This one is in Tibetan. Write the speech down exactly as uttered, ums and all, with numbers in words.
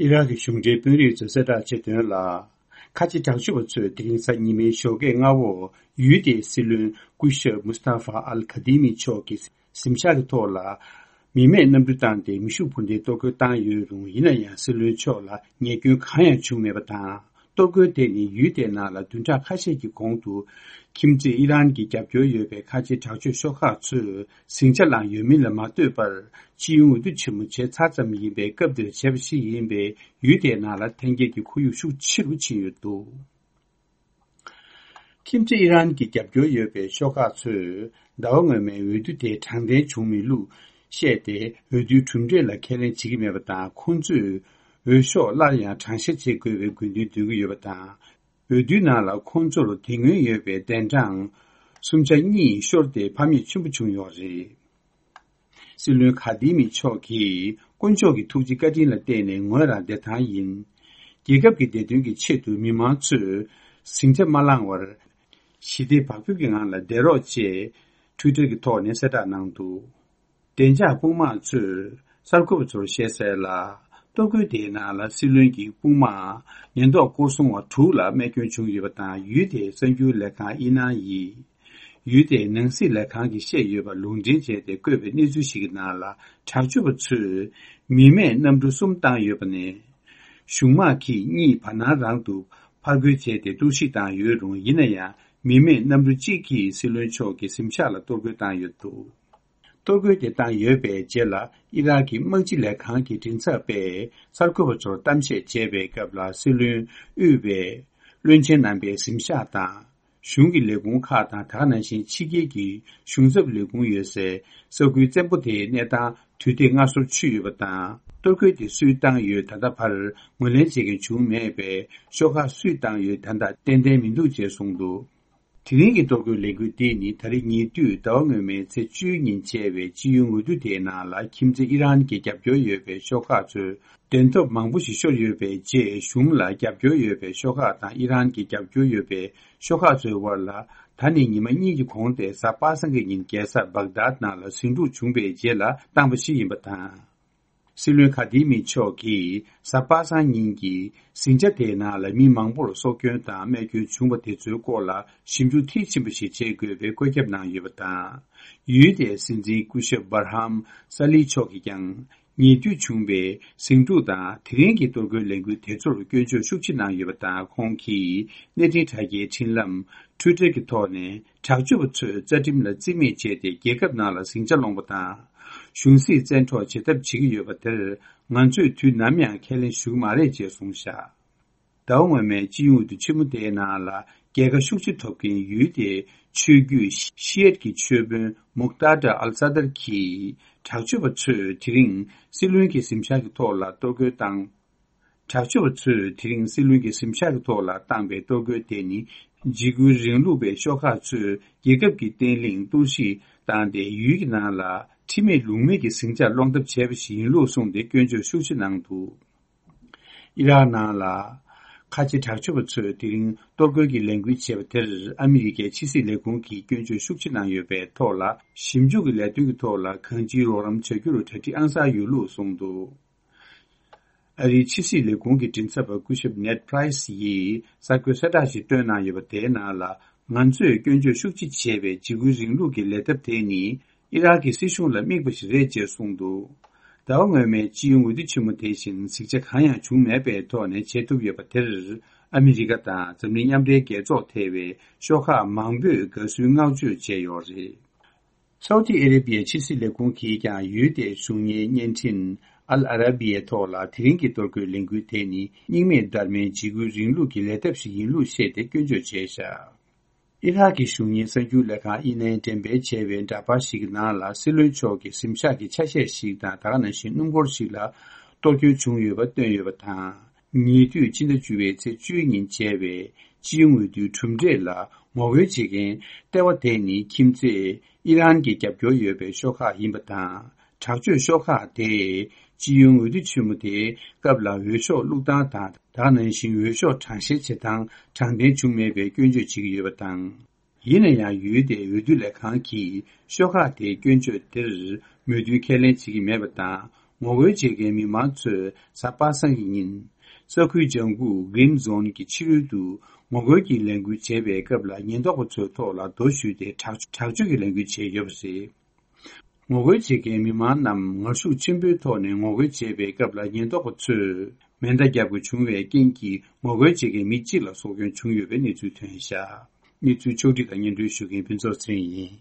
ཨི་རག་གི་གཞུང་འབྲེལ་དཔོན་རིགས་ཚོས་གསལ་བསྒྲགས་བྱས་དོན་ལ། ཁ་ཆེ་དྲག་སྤྱོད་པ་ཚོས་དེ་རིང་གཟའ་ཉི་མའི་ཞོགས་ཀས་སྔ་པོར་ཡུལ་དེའི་སྲིད་བློན་སྐུ་ཞབས་མུ་སྟ་ཧྥ་ཨལ་ཁ་དི་མི་མཆོག་གི་གཟིམ་ཤག་གི་ཐོག་ལ་མི་མེད་གནམ་གྲུ་བཏང་སྟེ་མེ་ཤུགས་འཕུར་མདེལ་གཏོར་རྒོལ་བཏང་ཡོད་རུང་། ཡིན་ན་ཡང་སྲིད་བློན་མཆོག་ལ་ཉེས་སྐྱོན་གང་ཡང་བྱུང་མེད་པ་དང་། གཏོར་རྒོལ་དེ་ནི་ཡུལ་དེའི་ནང་ལ་བདུན་ཕྲག་ཁ་ཤས་ཀྱི་གོང་དུ་ཁྱིམ་མཚེས་ཨི་རན་གྱི་རྒྱབ་སྐྱོར་ཡོད་པའི་ཁ་ཆེ་དྲག་སྤྱོད་ཤོག་ཁག་ཚོས་ཟིང་ཆ་བསླངས་ཡོད་མིན་ལ་མ་ལྟོས་པར། སྤྱི་ཡོངས་འོས་བསྡུ་ཆེན་མོ་བྱས་ཚར་ཙམ་ཡིན་པས། སྐབས་འདིར་བྱས་པ་ཞིག་ཡིན་པས། ཡུལ་དེའི་ནང་ལ་འཐེན་འཁྱེར་གྱི་ཁོར་ཡུག་ཤུགས་ཆེ་རུ་ཕྱིན་ཡོད་འདུག་ཁྱིམ་མཚེས་ཨི་རན་གྱི་རྒྱབ་སྐྱོར་ཡོད་པའི་ཤོག་ཁག་ཚོས་ཟླ་བ་སྔོན་མའི་འོས་བསྡུ་དེ་དྲང་བདེན་བྱུང་མེད་ལུགས་བཤད་དེ། འོས་བསྡུའི་གྲུབ་འབྲས་ལ་ཁས་ལེན་བྱེད་ཀྱི་མེད་པ་དང་། ཁོང་ཚོས་འོས་ཤོག་སླར་ཡང་གྲངས་བཤེར་བྱེད་དགོས་པའི་དགོས་འདུན་འདོན་གྱི་ཡོད་པ་དང་། འོས་བསྡུའི་ནང་ལ་ཁོང་ཚོར་དེ་སྔོན་ཡོད་པའི་གདན་གྲངས་སུམ་ཆ་གཉིས་ཤོར་ཏེ་ཕམ་ཉེས་ཆེན་པོ་བྱུང་ཡོད་རེད། སྲིད་བློན་ཁ་དི་མི་མཆོག་གིས་དཀོན་མཆོག་གི་ཐུགས་རྗེ་བཀའ་དྲིན་ལ་བརྟེན་ནས་ངོས་རང་བདེ་ཐང་ཡིན། རྒྱལ་ཁབ་ཀྱི་བདེ་དོན་གྱི་ཆེད་དུ་མི་མང་ཚོས་ཟིང་ཆ་མ་བསླངས་བར། ཞི་བདེ་བག་ཕེབས་ཀྱི་ངང་ལ་བསྡད་རོགས་ཅེས་ཊུའི་ཊར་གྱི་ཐོག་ནས་གསལ་བསྒྲགས་གནང་འདུག་བདེ་འཇགས་དཔུང་དམག་ཚོས་གསར་འགོད་པ་ཚོར་བཤད་གསལ་ལ། གཏོར་རྒོལ་དེའི་ནང་ལ་སྲིད་བློན་གྱི་དཔུང་དམག་ཉེན་རྟོག་སྐོར་སྲུང་བ་དྲུག་ལ་རྨས་སྐྱོན་བྱུང་ཡོད་པ་དང་། ཡུལ་དེའི་གསར་འགྱུར་ལས་ཁང་ཨི་ནན་ཡིས། ཡུལ་དེའི་ནང་སྲིད་ལས་ཁང་གིས་བཤད་ཡོད་པ་ལུང་འདྲེན་བྱས་ཏེ་བཀོད་པའི་གནས་ཚུལ་ཞིག་གི་ནང་ལ། དྲག་སྤྱོད་པ་ཚོས་མི་མེད་གནམ་གྲུ་གསུམ་བཏང་ཡོད་པ་ནས། གཞུང་དམག་གིས་གཉིས་བར་སྣང་རང་དུ་ཕར་རྒོལ་བྱས་ཏེ་གཏོར་བཤིག་བཏང་ཡོད་རུང་། ཡིན་ན་ཡང་མི་མེད་གནམ་གྲུ་གཅིག་གིས་སྲིད་བློན་མཆོག་གི་གཟིམ་ཤག་ལ་གཏོར་རྒོལ་བཏང་ཡོད་འདུག་གཏོར་རྒོལ་དེ་བཏང་ཡོད་པའི་རྗེས་ལ། ཨི་རག་གི་དམག་སྤྱི་ལས་ཁང་གི་མགྲིན་ཚབ་པས་གསར་འགོད་པ་ཚོར་གཏམ་བཤད་བྱས་པའི་སྐབས་ལ། སྲིད་བློན་དབུས་པའི་བློན་ཆེན་རྣམ་པའི་གཟིམ་ཤག་དང་། གཞུང་གི་ལས་ཁུངས་ཁག་དང་། ད་ག་ནང་བཞིན་ཕྱི་རྒྱལ་གྱི་གཞུང་ཚབ་ལས་ཁུངས་ཡོད་སའི་ས་ཁུལ་བཙན་པོ་དེའི་གནས་སྟངས་དུས་བདེ་སྔ་སོར་ཆུད་ཡོད་པ་དང་། གཏོར་རྒོལ་དེ་སུས་བཏང་ཡོད། ད་ལྟ་བར་ངོས་ལེན་བྱེད་མཁན་བྱུང་མེད་པས། ཤོག་ཁག་སུས་བཏང་ཡོད། ད་ལྟ་ཏན་ཏན་མི་འདུག་ཅེས་གསུངས་འདུག་དེ་རིང་གི་གཏོར་རྒོལ་ལས་འགུལ་འདི་ནི་ད་རེས་ཉེ་དུས་ཟླ་བ་སྔོན་མའི་ཚེས་བཅུའི་ཉིན་བྱས་པའི་སྤྱི་ཡོངས་འོས་བསྡུ་དེའི་ནང་ལ། ཁྱིམ་མཚེས་ཨི་རན་གྱི་རྒྱབ་སྐྱོར་ཡོད་པའི་ཤོག་ཁག་ཚོས་གདན་ཐོབ་མང་པོ་ཞིག་ཤོར་ཡོད་པའི་རྗེས། གཞུང་ལ་རྒྱབ་སྐྱོར་ཡོད་པའི་ཤོག་ཁག་དང་། ཨི་རན་གྱི་རྒྱབ་སྐྱོར་ཡོད་པའི་ཤོག་ཁག་ཚོའི་དབར་ལ། ད་ནི་ཉི་མ་གཉིས་ཀྱི་གོང་སྟེ། གཟའ་པ་སངས་ཀྱི་ཉིན་རྒྱལ་ས་བྷག་དཱད་ནང་ལ་ཟིང་འཁྲུག་བྱུང་བའི་རྗེས་ལ་བཏང་པ་ཞིག་ཡིན་པ་དང་། སྲིད་བློན་ཁ་དི་མི་མཆོག་གིས་གཟའ་པ་སངས་ཉིན་གྱི་ཟིང་ཆ་དེའི་ནང་ལ་མི་མང་པོར་སྲོག་སྐྱོན་དང་རྨས་སྐྱོན་བྱུང་བ་དེ་ཚོའི་སྐོར་ལ་ཞིབ་འཇུག་མཐིལ་ཕྱིན་པ་ཞིག་བྱེད་དགོས་པའི་བཀོད་ཁྱབ་གནང་ཡོད་པ་དང་། ཡུལ་དེའི་སྲིད་འཛིན་སྐུ་ཞབས་བྷར་ཧམ་ས་ལི་མཆོག་གིས་ཀྱང་། ཉེ་དུས་བྱུང་བའི་ཟིང་འཁྲུག་དང་། དེ་རིང་གི་གཏོར་རྒོལ་ལས་འགུལ་དེ་ཚོར་སྐྱོན་བརྗོད་ཤུགས་ཆེ་གནང་ཡོད་པ་དང་། ཁོང་གིས་གནས་འཕྲིན་དྲ་རྒྱའི་འཕྲིན་ལམ་ཊུའི་ཊར་གྱི་ཐོག་ནས། དྲག་སྤྱོད་པ་ཚོས་རྩ་ཁྲིམས་ལ་བརྩི་མེད་བྱས་ཏེ། རྒྱལ་ཁབ་ནང་ལ་ཟིང་ཆ་སློང་བ་དང་། གཞུང་སྲིད་བཙན་འཕྲོག་བྱེད་ཐབས་བྱེད་ཀྱི་ཡོད་པ་དེར། ང་ཚོས་དུས་ནམ་ཡང་ཁས་ལེན་ཞུ་གི་མ་རེད་ཅེས་གསུངས་བཞག་ཟླ་བ་སྔོན་མའི་སྤྱི་ཡོངས་འོས་བསྡུ་ཆེན་མོ་དེའི་ནང་ལ། རྒྱལ་ཁ་ཤུགས་ཆེ་ཐོབ་མཁན་ཡུལ་དེའི་ཆོས་བརྒྱུད་ཤི་ཨེད་ཀྱི་ཆོས་དཔོན་མུག་ཏཱ་ཏྲ་ཨལ་ས་དར་གྱིས། དྲག་སྤྱོད་པ་ཚོས་དེ་རིང་སྲིད་བློན་གྱི་གཟིམ་ཤག་གི་ཐོག་ལ་གཏོར་རྒོལ་བཏང་། དྲག་སྤྱོད་པ་ཚོས་དེ་རིང་སྲིད་བློན་གྱི་གཟིམ་ཤག་གི་ཐོག་ལ་བཏང་པའི་གཏོར་རྒོལ་དེ་ནི། འཇིགས་སྐུལ་རིང་ལུགས་པའི་ཤོག་ཁག་ཚོས་རྒྱལ་ཁབ་ཀྱི་བརྟན་ལྷིང་གཏོར་བཤིག་བཏང་སྟེ། ཡུལ་གྱི་ནང་ལ་ཁྲིམས་མེད་ལུགས་མེད་ཀྱི་ཟིང་ཆ་སློང་ཐབས་བྱས་པ་ཞིག་ཡིན་ལུགས་གསུངས་ཏེ། སྐྱོན་བརྗོད་ཤུགས་ཆེ་གནང་འདུག་ཨི་རག་ནང་ལ་ཁ་ཆེ་དྲག་སྤྱོད་པ་ཚོས་དེ་རིང་གཏོར་རྒོལ་གྱི་ལས་འགུལ་བྱས་པ་དེར། ཨ་མི་རི་ཀའི་ཕྱི་སྲིད་ལས་ཁུངས་ཀྱིས་སྐྱོན་བརྗོད་ཤུགས་ཆེ་གནང་ཡོད་པའི་ཐོག་ལ། ཞིབ་འཇུག་གི་ལས་དོན་གྱི་ཐོག་ལ་གང་ཅིའི་རོགས་རམ་བྱ་རྒྱུར་གྲ་སྒྲིག་ཨང་གསར་ཡོད་ལུགས་གསུངས་འདུག་ཨ་རིའི་ཕྱི་སྲིད་ལས་ཁུངས་ཀྱི་མགྲིན་ཚབ་པ་སྐུ་ཞབས་ནེད་པྲའི་སི་ཡིས་གསར་འགོད་གསལ་བསྒྲགས་ཤིག་བཏོན་གནང་ཡོད་པ། དེའི་ནང་ལ། ང་ཚོས་སྐྱོན་བརྗོད་ཤུགས་ཆེ་བྱས་པའི་འཇིགས་སྐུལ་རིང་ལུགས་ཀྱི་ལས་ཐབས་དེ་ནི། ཨི་རག་གི་སྲིད་གཞུང་ལ་དམིགས་པ་ཞིག་རེད་ཅེས་གསུངས་འདུག་ཟླ་བ་སྔོན་མའི་སྤྱི་ཡོངས་འོས་བསྡུ་ཆེན་མོ་དེ་བཞིན་ཟིང་ཆ་གང་ཡང་བྱུང་མེད་པའི་ཐོག་ནས་བྱེད་ཐུབ་ཡོད་པ་དེར། ཨ་མི་རི་ཀ་དང་འཛམ་གླིང་མཉམ་འབྲེལ་རྒྱལ་ཚོགས་ཐེ་བའི་ཤོག་ཁག་མང་པོས་དགའ་བསུའི་བསྔགས་བརྗོད་བྱས་ཡོད་རེད། སའུ་ཏི་ཨ་རེ་བྷི་ཡའི་ཕྱི་སྲིད་ལས་ཁུངས་ཀྱིས་ཀྱང་ཡུལ་དེའི་གཞུང་གཉེར་བརྙན་འཕྲིན་ཨལ་ཨ་ར་བྷི་ཡའི་ཐོག་ལ། དེ་རིང་གི་གཏོར་རྒོལ་ལས་འགུལ་དེ་ནི། སྙིང་མེད་བརྡར་མའི་འཇིགས་སྐུལ་རིང་ལུགས་ཀྱི་ལས་ཐབས་ཤིག་ཡིན་ལུགས་བཤད་དེ་སྐྱོན་བརྗོད་བྱས་བཞག་ཨི་རག་གི་གཞུང་གཉེར་གསར་འགྱུར་ལས་ཁང་ཨི་ནན་འགྲེམས་སྤེལ་བྱས་པའི་འདྲ་པར་ཞིག་གི་ནང་ལ། སྲིད་བློན་མཆོག་གི་གཟིམ་ཤག་གི་ཆ་ཤས་ཤིག་དང་། ད་ག་ནང་བཞིན་སྣུམ་འཁོར་ཞིག་ལ་གཏོར་སྐྱོན་བྱུང་ཡོད་པ་བཏོན་ཡོད་པ་དང་། ཉེ་དུས་ཕྱི་ཟླ་བཅུ་པའི་ཚེས་བཅུའི་ཉིན་བྱས་པའི་སྤྱི་ཡོངས་འོས་བསྡུའི་གྲུབ་འབྲས་ལ་ངོ་རྒོལ་བྱེད་མཁན་ལྟེ་བ་དེ་ནི། ཁྱིམ་མཚེས་ཨི་རན་གྱི་རྒྱབ་སྐྱོར་ཡོད་པའི་ཤོག་ཁག་ཡིན་པ་དང་། དྲག་སྤྱོད་ཤོག་ཁག་དེས་སྤྱི་ཡོངས་འོས་བསྡུ་ཆེན་མོ་དེའི་སྐབས་ལ་འོས་ཤོག་བླུགས་སྟངས་དང་། ད་ག་ནང་བཞིན་འོས་ཤོག་གྲངས་བཤེར་བྱེད་སྟངས་དྲང་བདེན་བྱུང་མེད་པའི་སྐྱོན་བརྗོད་བྱེད་ཀྱི་ཡོད་པ་དང་། ཡིན་ན་ཡང་ཡུལ་དེའི་འོས་བསྡུ་ལས་ཁང་གིས་ཤོག་ཁག་དེའི་སྐྱོན་བརྗོད་དེར་མོས་མཐུན་ཁས་ལེན་བྱེད་ཀྱི་མེད་པ་དང་། ངོ་རྒོལ་བྱེད་མཁན་མི་མང་ཚོས་གཟའ་པ་སངས་ཀྱི་ཉིན། ས་ཁུལ་ལྗང་ཁུག་Green Zone གྱི་ཕྱི་རོལ་དུ་ངོ་རྒོལ་གྱི་ལས་འགུལ་བྱས་པའི་སྐབས་ལ་ཉེན་རྟོག་པ་ཚོའི་ཐོག་ལ་རྡོ་གཞུས་ཏེ་དྲག་དྲག་སྤྱོད་ཀྱི་ལས་འགུལ་བྱས་ཡོད་པ་རེད། ངོ་རྒོལ་བྱེད་མཁན་མི་མང་རྣམས་ངར་ཤུགས་ཆེན་པོའི་ཐོག་ནས་ངོ་རྒོལ་བྱས་པའི་སྐབས་ལ་ཉེན་རྟོག་པ་ཚོས་མེ་མདའ་བརྒྱབ་དགོས་བྱུང་བའི་རྐྱེན་གྱིས་ངོ་རྒོལ་བྱེད་མཁན་མི་གཅིག་ལ་སྲོག་སྐྱོན་བྱུང་ཡོད་པའི་གནས་ཚུལ་ཐོན་བཞག་གནས་ཚུལ་ཕྱོགས་བསྒྲིགས་དང་སྙན་སྒྲོན་ཞུ་མཁན་ཕུན་ཚོགས་ཚེ་རིང་ཡིན།